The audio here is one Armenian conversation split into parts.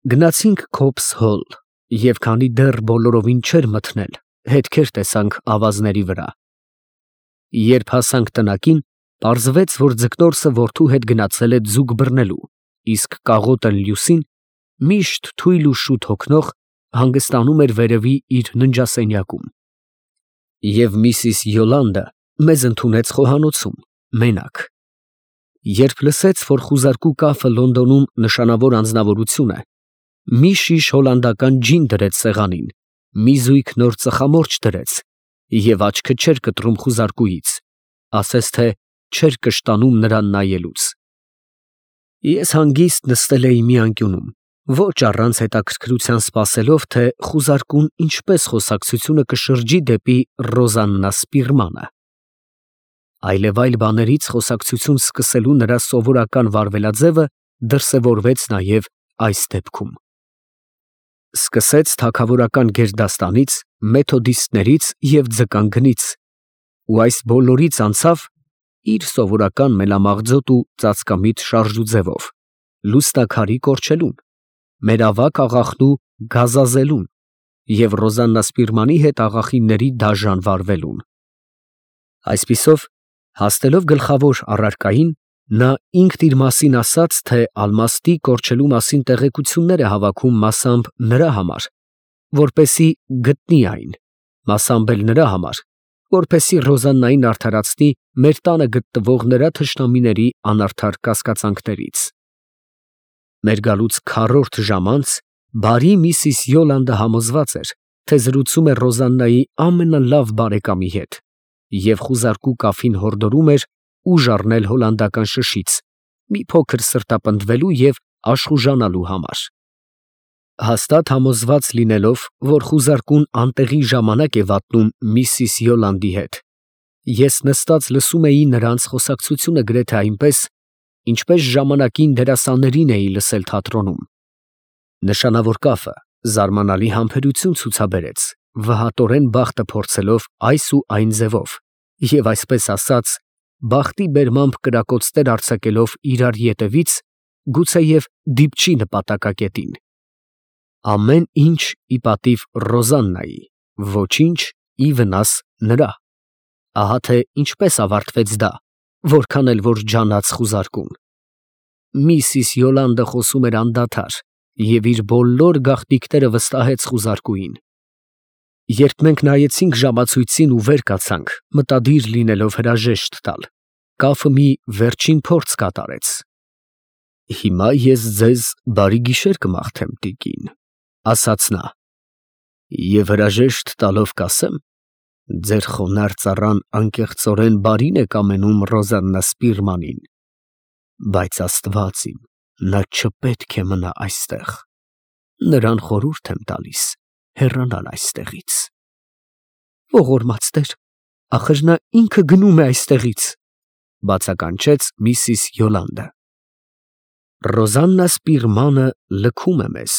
Գնացինք Քոփս հոլ, և քանի դեռ բոլորովին չէր մթնել, հետքեր տեսանք ավազների վրա։ Երբ հասանք տնակին, պարզվեց, որ ձկնորսը որդու հետ գնացել է ձուկ բռնելու, իսկ կաղոտը Լյուսին, միշտ թույլ ու շուտ հոգնող, հանգստանում էր վերևի իր ննջասենյակում։ Եվ միսիս Յոլանդը մեզ ընդունեց խոհանոցում, մենակ։ Երբ լսեց, որ խուզարկու կաֆը Լոնդոնում նշանավոր անձնավորություն է, մի շիշ հոլանդական ջին դրեց սեղանին, մի զույգ նոր ծխամորճ դրեց և աչքը չէր կտրում խուզարկուից, ասես թե չէր կշտանում նրան նայելուց։ Ես հանգիստ նստել էի մի անկյունում, ոչ առանց հետաքրքրության սպասելով, թե խուզարկուն ինչպես խոսակցությունը կշրջի դեպի Ռոզաննա Սպիրմանը։ Այլևայլ բաներից խոսակցություն սկսելու նրա սովորական վարվելաձևը դրսևորվեց նաև այս դեպքում։ Սկսեց թագավորական գերդաստանից, մեթոդիստներից և ձկան գնից, ու այս բոլորից անցավ իր սովորական մելամաղձոտ ու ծածկամիտ շարժուձևով, լուսնաքարի կորչելուն, մեր ավագ աղախնու գազազելուն և Ռոզաննա Սպիրմանի հետ աղախինների դաժան վարվելուն։ Այսպիսով, հասնելով գլխավոր առարկային, նա ինքն իր մասին ասաց, թե ալմաստի կորչելու մասին տեղեկություններ է հավաքում մասամբ նրա համար, որպեսզի գտնի այն, մասամբ էլ նրա համար, որպեսզի Ռոզաննային արդարացնի մեր տանը գտնվող նրա թշնամիների անարդար կասկածանքներից։ Մեր գալուց քառորդ ժամ անց բարի միսիս Յոլանդը համոզված էր, թե զրուցում է Ռոզաննայի ամենալավ բարեկամի հետ և խուզարկու կաֆին հորդորում էր ուժ առնել հոլանդական շշից, մի փոքր սրտապնդվելու և աշխուժանալու համար։ Հաստատ համոզված լինելով, որ խուզարկուն անտեղի ժամանակ է վատնում միսիս Յոլանդի հետ, ես նստած լսում էի նրանց խոսակցությունը գրեթե այնպես, ինչպես ժամանակին դերասաններին էի լսել թատրոնում։ Նշանավոր կաֆը զարմանալի համբերություն ցուցաբերեց, վհատորեն բախտը փորձելով այս ու այն ձևով, և այսպես ասած, բախտի բերմամբ կրակոցներ արձակելով իրար ետևից, գուցեև դիպչի նպատակակետին։ Ամեն ինչ ի պատիվ Ռոզաննայի, ոչինչ ի վնաս նրա։ Ահա թե ինչպես ավարտվեց դա, որքան էլ որ ջանաց խուզարկուն։ Միսիս Յոլանդը խոսում էր անդադար և իր բոլոր գաղտնիքները վստահեց խուզարկուին։ Երբ մենք նայեցինք ժամացույցին ու վեր կացանք, մտադիր լինելով հրաժեշտ տալ, կաֆը մի վերջին փորձ կատարեց։ «Հիմա ես ձեզ բարի գիշեր կմաղթեմ, տիկին», ֊ ասաց նա, «և հրաժեշտ տալով կասեմ, ձեր խոնարհ ծառան անկեղծորեն բարին է կամենում Ռոզաննա Սպիրմանին, բայց աստված իմ, նա չպետք է մնա այստեղ, նրան խորհուրդ եմ տալիս հեռանալ այստեղից»։ «Ողորմած Տեր, ախր նա ինքը գնում է այստեղից», ֊ բացականչեց միսիս Յոլանդը։ «Ռոզաննա Սպիրմանը լքում է մեզ,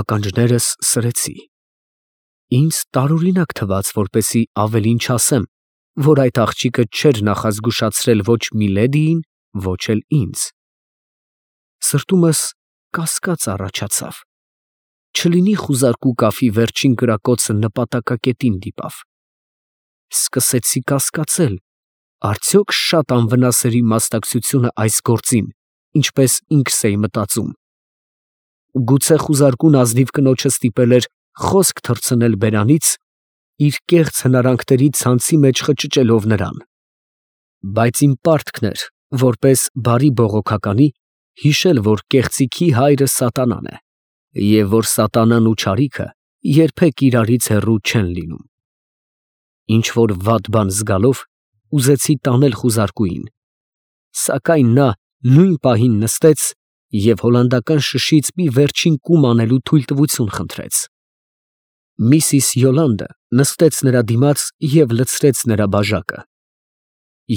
ականջներս սրեցի։ Ինձ տարօրինակ թվաց, որպեսզի ավելին չասեմ, որ այդ աղջիկը չէր նախազգուշացրել ոչ Միլեդիին, ոչ էլ ինձ։ Սրտումս կասկած առաջացավ. չլինի խուզարկու կաֆի վերջին կրակոցը նպատակակետին դիպավ։ Սկսեցի կասկածել, արդյոք շատ անվնաս էր իմ մասնակցությունը այս գործին, ինչպես ինքս էի մտածում։ Գուցե խուզարկուն ազնիվ կնոջը ստիպել էր խոսք թռցնել բերանից, իր կեղծ հնարանքների ցանցի մեջ խճճելով նրան։ Բայց իմ պարտքն էր, որպես բարի բողոքականի, հիշել, որ կեղծիքի հայրը սատանան է, և որ սատանան ու չարիքը երբեք իրարից հեռու չեն լինում։ Ինչ֊որ վատ բան զգալով, ուզեցի տանել խուզարկուին, սակայն նա նույն պահին նստեց և հոլանդական շշից մի վերջին կում անելու թույլտվություն խնդրեց։ Միսիս Յոլանդը նստեց նրա դիմաց և լցրեց նրա բաժակը։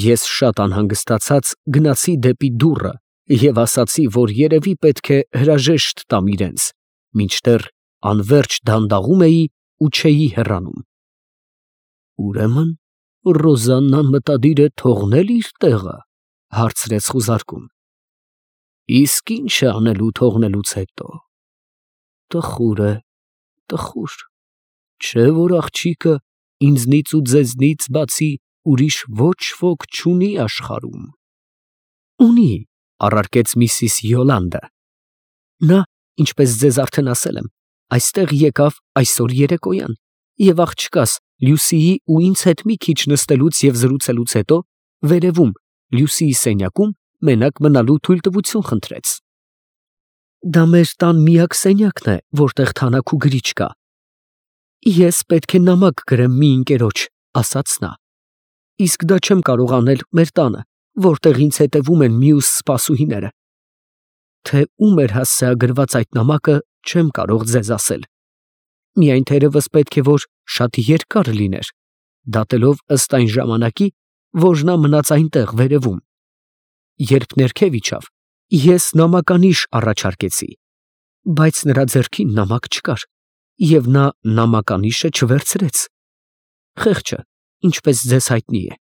Ես շատ անհանգստացած գնացի դեպի դուռը և ասացի, որ երևի պետք է հրաժեշտ տամ իրենց, մինչդեռ անվերջ դանդաղում էի ու չէի հեռանում։ «Ուրեմն Ռոզաննան մտադիր է թողնել իր տեղը, ֊ հարցրեց խուզարկուն։ ֊ Իսկ ի՞նչ է անելու թողնելուց հետո։ Տխուր է, տխուր, չէ որ աղջիկը ինձնից ու ձեզնից բացի ուրիշ ոչ ոք չունի աշխարհում։ Ունի, առարկեց միսիս Յոլանդը։ Նա, ինչպես ձեզ արդեն ասել եմ, այստեղ եկավ այսօր երեկոյան, եւ աղջկաս Լյուսիի ու ինձ հետ մի քիչ նստելուց եւ զրուցելուց հետո վերևում Լյուսիի սենյակում մենակ մնալու թույլտվություն խնդրեց։ Դա մեր տան միակ սենյակն է, որտեղ թանաք ու գրիչ կա։ Ես պետք է նամակ գրեմ մի ընկերոջ, ասաց նա։ Իսկ դա չեմ կարող անել մեր տանը, որտեղ ինձ հետևում են մյուս սպասուհիները։ Թե ում էր հասցեագրված այդ նամակը, չեմ կարող ձեզ ասել։ Միայն թերևս պետք է որ շատ երկար լիներ, դատելով ըստ այն ժամանակի, որ նա մնաց այնտեղ վերևում։ Երբ ներքև իջավ, ես նամականիշ առաջարկեցի, բայց նրա ձեռքին նամակ չկար, եւ նա նամականիշը չվերցրեց։ Խեղճը, ինչպես ձեզ հայտնի է,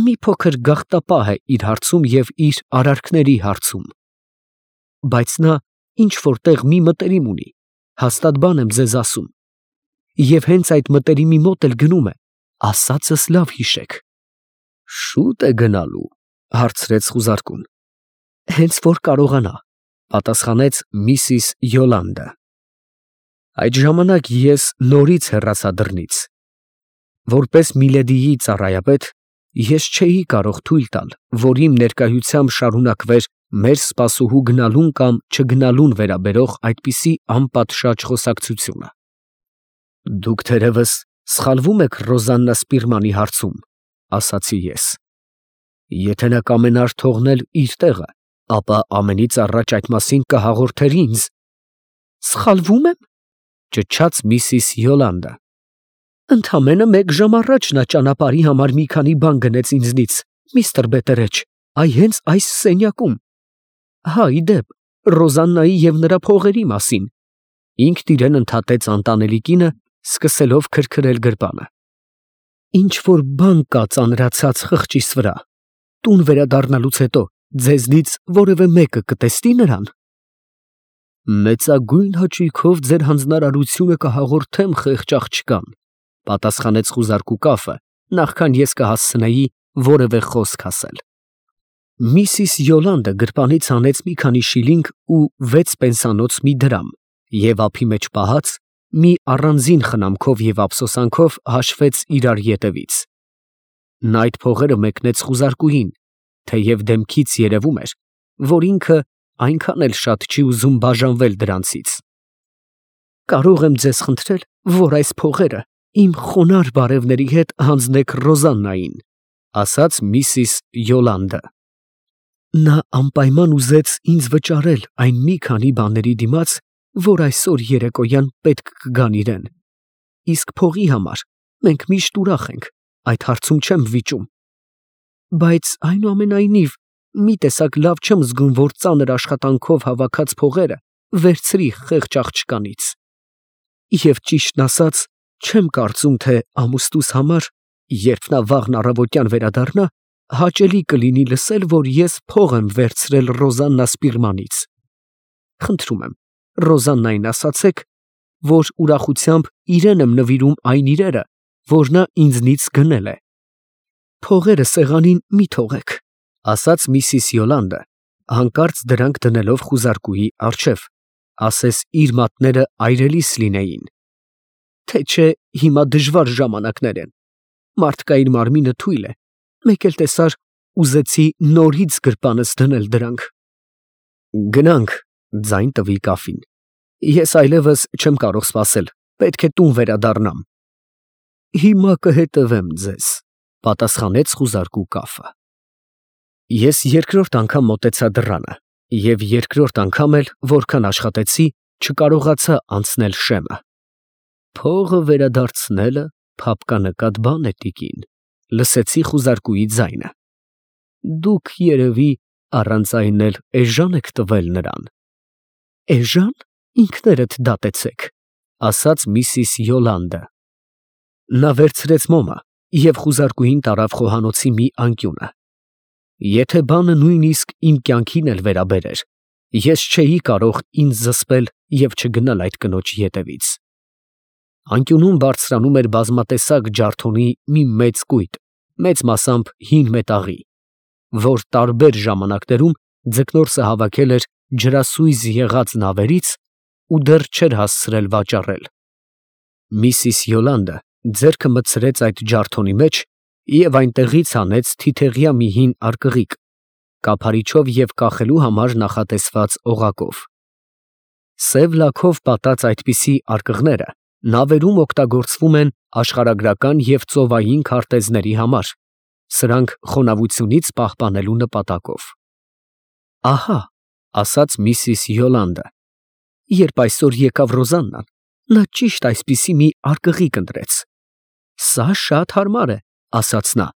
մի փոքր գաղտապահ է իր հարցում եւ իր արարքների հարցում։ Բայց նա ինչ որտեղ մի մտերիմ ունի, հաստատ բան եմ ձեզ ասում։ Եվ հենց այդ մտերիմի մոտ էլ գնում է, ասածս լավ հիշեք։ Շուտ է գնալու, հարցրեց խուզարկուն։ Հենց որ կարողանա, պատասխանեց միսիս Յոլանդը։ Այդ ժամանակ ես նորից հեռացա դռնից։ Որպես Միլեդիի ծառայապետ, ես չէի կարող թույլ տալ, որ իմ ներկայությամբ շարունակվեր մեր սպասուհու գնալուն կամ չգնալուն վերաբերող այդպիսի անպատշաճ խոսակցությունը։ Դուք թերևս սխալվում եք Ռոզաննա Սպիրմանի հարցում, ասացի ես։ Եթե նա կամենար թողնել իր տեղը, ապա ամենից առաջ այդ մասին կհաղորդեր ինձ։ Սխալվում եմ, ճչաց միսիս Յոլանդը։ Ընդամենը մեկ ժամ առաջ նա ճանապարհի համար մի քանի բան գնեց ինձնից, միստր Բետերեջ, այ հենց այս սենյակում։ Հա, ի դեպ, Ռոզաննայի եւ նրա փողերի մասին։ Ինքն իրեն ընդհատեց անտանելի կինը, սկսելով քրքրել գրպանը։ Ինչ որ բան կա ծանրացած խղճիս վրա։ Տուն վերադառնալուց հետո ձեզնից որևէ մեկը կտեսնի նրան։ Մեծագույն հաճույքով ձեր հանձնարարությունը կհաղորդեմ խեղճ աղջկան, պատասխանեց խուզարկու կաֆը, նախքան ես կհասցնեի որևէ խոսք ասել։ Միսիս Յոլանդը գրպանից հանեց մի քանի շիլինգ ու 6 պենսանոց մի դրամ եւ ափի մեջ պահած մի առանձին խնամքով եւ ափսոսանքով հաշվեց իրար ետևից։ Նա այդ փողերը մեկնեց խուզարկուին, թեև դեմքից երևում էր, որ ինքը այնքան էլ շատ չի ուզում բաժանվել դրանցից։ Կարող եմ ձեզ խնդրել, որ այս փողերը իմ խոնարհ բարևների հետ հանձնեք Ռոզաննային, ասաց միսիս Յոլանդը։ Նա անպայման ուզեց ինձ վճարել այն մի քանի բաների դիմաց, որ այսօր երեկոյան պետք կգան իրեն։ Իսկ փողի համար մենք միշտ ուրախ ենք, այդ հարցում չեմ վիճում։ Բայց այնուամենայնիվ մի տեսակ լավ չեմ զգում, որ ծանր աշխատանքով հավաքած փողերը վերցրի խեղճ աղջկանից։ Եվ ճիշտն ասած, չեմ կարծում, թե ամուսնուս համար, երբ նա վաղն առավոտյան վերադառնա, հաճելի կլինի լսել, որ ես փող եմ վերցրել Ռոզաննա Սպիրմանից։ Խնդրում եմ, Ռոզաննային ասացեք, որ ուրախությամբ իրեն եմ նվիրում այն իրերը, որ նա ինձնից գնել է։ Փողերը սեղանին մի թողեք, ասաց միսիս Յոլանդը, հանկարծ դրանք դնելով խուզարկուի առջև, ասես իր մատները այրելիս լինեին։ Թե չէ հիմա դժվար ժամանակներ են, մարդկային մարմինը թույլ է, մեկ էլ տեսար ուզեցի նորից գրպանս դնել դրանք։ Գնանք, ձայն տվի կաֆին։ Ես այլևս չեմ կարող սպասել, պետք է տուն վերադառնամ։ Հիմա կհետևեմ ձեզ, պատասխանեց խուզարկու կաֆը։ Ես երկրորդ անգամ մոտեցա դռանը, եւ երկրորդ անգամ էլ, որքան աշխատեցի, չկարողացա անցնել շեմը։ Փողը վերադարձնելը փապկանկատ բան է, տիկին, լսեցի խուզարկուի ձայնը։ Դուք երևի առանց այն էլ էժան եք տվել նրան։ Էժան, ինքներդ դատեցեք, ասաց միսիս Յոլանդը։ Նա վերցրեց մոմը եւ խուզարկուին տարավ խոհանոցի մի անկյունը։ Եթե բանը նույնիսկ իմ կյանքին էլ վերաբերեր, ես չէի կարող ինձ զսպել և չգնալ այդ կնոջ ետևից։ Անկյունում բարձրանում էր բազմատեսակ ջարդոնի մի մեծ կույտ, մեծ մասամբ հին մետաղի, որ տարբեր ժամանակներում ձկնորսը հավաքել էր ջրասույզ եղած նավերից ու դեռ չէր հասցրել վաճառել։ Միսիս Յոլանդը ձեռքը մտցրեց այդ ջարդոնի մեջ և այնտեղից հանեց թիթեղյա մի հին արկղիկ, կափարիչով և կախելու համար նախատեսված օղակով։ Սև լաքով պատած այդպիսի արկղները նավերում օգտագործվում են աշխարհագրական և ծովային քարտեզների համար, սրանք խոնավությունից պահպանելու նպատակով։ Ահա, ասաց միսիս Յոլանդը, երբ այսօր եկավ Ռոզաննան, նա ճիշտ այսպիսի մի արկղիկ ընտրեց։ Սա շատ հարմար է, ասաց նա,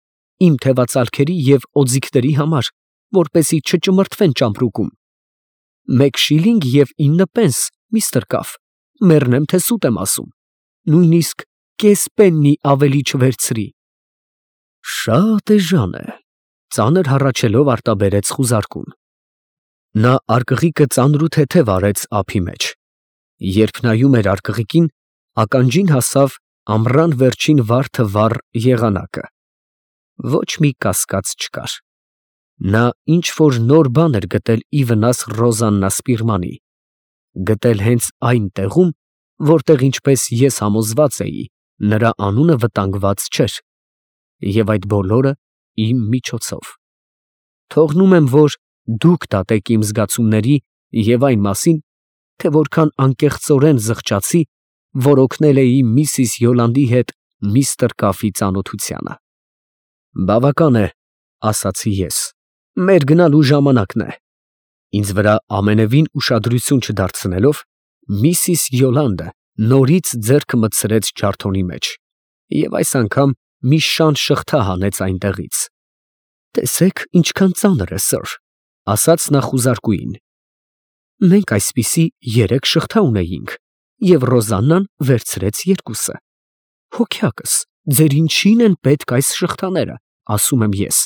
իմ թևածալքերի և օձիքների համար, որպեսզի չճմրթվեն ճամպրուկում։ 1 շիլինգ և 9 պենս, միստր Կաֆ, մեռնեմ, թե սուտ եմ ասում, նույնիսկ կես պեննի ավելի չվերցրի։ Շատ էժան է, ծանր հառաչելով արտաբերեց խուզարկուն։ Նա արկղիկը ծանր ու թեթև արեց ափի մեջ։ Երբ նայում էր արկղիկին, ականջին հասավ ամռան վերջին վարդը վառ եղանակը։ Ոչ մի կասկած չկար։ Նա ինչ֊որ նոր բան էր գտել ի վնաս Ռոզաննա Սպիրմանի, գտել հենց այն տեղում, որտեղ, ինչպես ես համոզված էի, նրա անունը վտանգված չէր, և այդ բոլորը իմ միջոցով։ Թողնում եմ, որ դուք դատեք իմ զգացումների և այն մասին, թե որքան անկեղծորեն զղջացի, որ օգնել էի միսիս Յոլանդի հետ միստր Կաֆի ծանոթությանը։ Բավական է, ասացի ես, մեր գնալու ժամանակն է։ Ինձ վրա ամենևին ուշադրություն չդարձնելով, միսիս Յոլանդը նորից ձեռքը մտցրեց ջարդոնի մեջ և այս անգամ մի շան շղթա հանեց այնտեղից։ Տեսեք, ինչքան ծանր է, սըր, ասաց նա խուզարկուին։ Մենք այսպիսի 3 շղթա ունեինք, և Ռոզաննան վերցրեց 2-ը։ Հոգյակս, ձեր ինչին են պետք այս շղթաները, ասում եմ ես։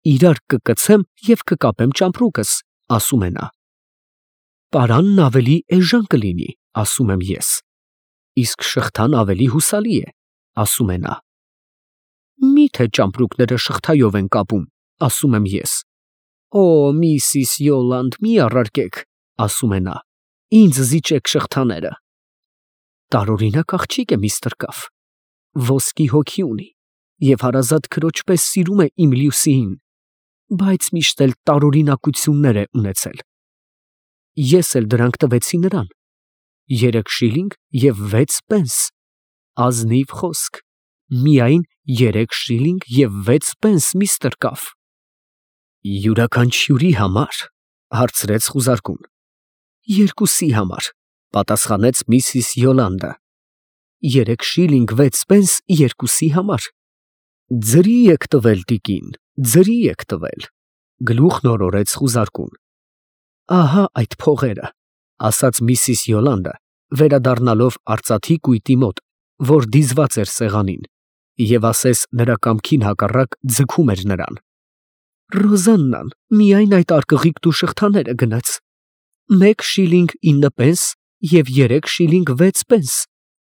Իրար կկցեմ և կկապեմ ճամպրուկս, ասում է նա։ Պարանն ավելի էժան կլինի, ասում եմ ես։ Իսկ շղթան ավելի հուսալի է, ասում է նա։ Մի՞թե ճամպրուկները շղթայով են կապում, ասում եմ ես։ Օ, միսիս Յոլանդ, մի առարկեք, ասում է նա, ինձ զիջեք շղթաները։ Տարօրինակ աղջիկ է միստր Կաֆ, ոսկի հոգի ունի և հարազատ քրոջ պես սիրում է իմ Լյուսիին, բայց միշտ էլ տարօրինակություններ է ունեցել։ Ես էլ դրանք տվեցի նրան, 3 շիլինգ և 6 պենս, ազնիվ խոսք, միայն 3 շիլինգ և 6 պենս, միստր Կաֆ։ Յուրաքանչյուրի համար, հարցրեց խուզարկուն։ 2-ի համար, պատասխանեց միսիս Յոլանդը։ 3 շիլինգ 6 պենս 2-ի համար։ Ձրի եք տվել, տիկին, ձրի եք տվել, գլուխն օրորեց խուզարկուն։ Ահա այդ փողերը, ասաց միսիս Յոլանդը, վերադառնալով արծաթի կույտի մոտ, որ դիզված էր սեղանին, և ասես նրա կամքին հակառակ ձգում էր նրան։ Ռոզաննան միայն այդ արկղիկն ու շղթաները գնեց։ 1 շիլինգ 9 պենս և 3 շիլինգ 6 պենս,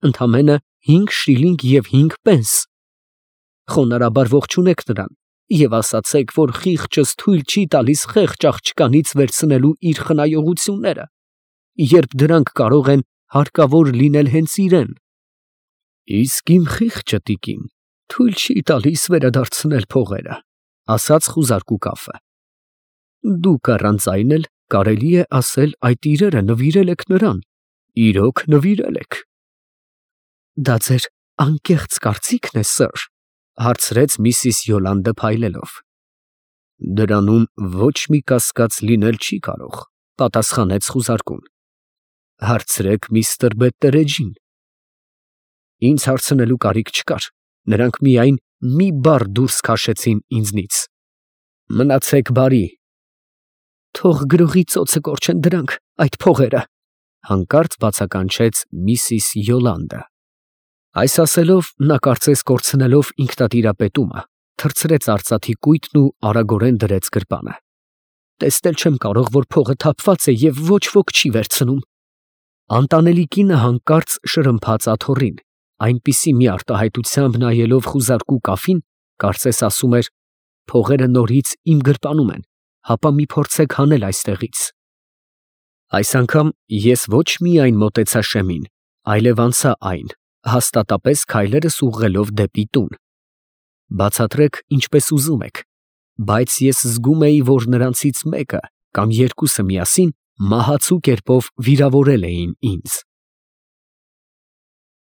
ընդամենը 5 շիլինգ և 5 պենս։ Խոնարհաբար ողջունեք նրան և ասացեք, որ խիղճս թույլ չի տալիս խեղճ աղջկանից վերցնելու իր խնայողությունները, երբ դրանք կարող են հարկավոր լինել հենց իրան։ Իսկ իմ խիղճը, տիկին, թույլ չի տալիս վերադարձնել փողերը, ասաց խուզարկու Կաֆը։ Դուք առանց այն էլ կարելի է ասել այդ իրերը նվիրել եք նրան, իրոք նվիրել եք։ Դա ձեր անկեղծ կարծիքն է, սըր, հարցրեց միսիս Յոլանդը փայլելով։ Դրանում ոչ մի կասկած լինել չի կարող, պատասխանեց խուզարկուն։ Հարցրեք միստր Բետտերեջին։ Ինձ հարցնելու կարիք չկար, նրանք միայն մի բառ դուրս քաշեցին ինձնից։ Մնացեք բարի։ Թող գրողի ծոցը կորչեն դրանք, այդ փողերը, հանկարծ բացականչեց միսիս Յոլանդը։ Այս ասելով, նա կարծես կորցնելով ինքնատիրապետումը, թռցրեց արծաթի կույտն ու արագորեն դրեց գրպանը։ Տեսնել չեմ կարող, որ փողը թափված է և ոչ ոք չի վերցնում։ Անտանելի կինը հանկարծ շրմփաց աթոռին, այնպիսի մի արտահայտությամբ նայելով խուզարկու կաֆին, կարծես ասում էր. «Փողերը նորից իմ գրպանում են, հապա մի փորձեք հանել այստեղից»։ Այս անգամ ես ոչ միայն մոտեցա շեմին, այլև անցա այն, հաստատապես քայլերս ուղղելով դեպի տուն։ Բացատրեք ինչպես ուզում եք, բայց ես զգում էի, որ նրանցից մեկը կամ երկուսը միասին մահացու կերպով վիրավորել էին ինձ։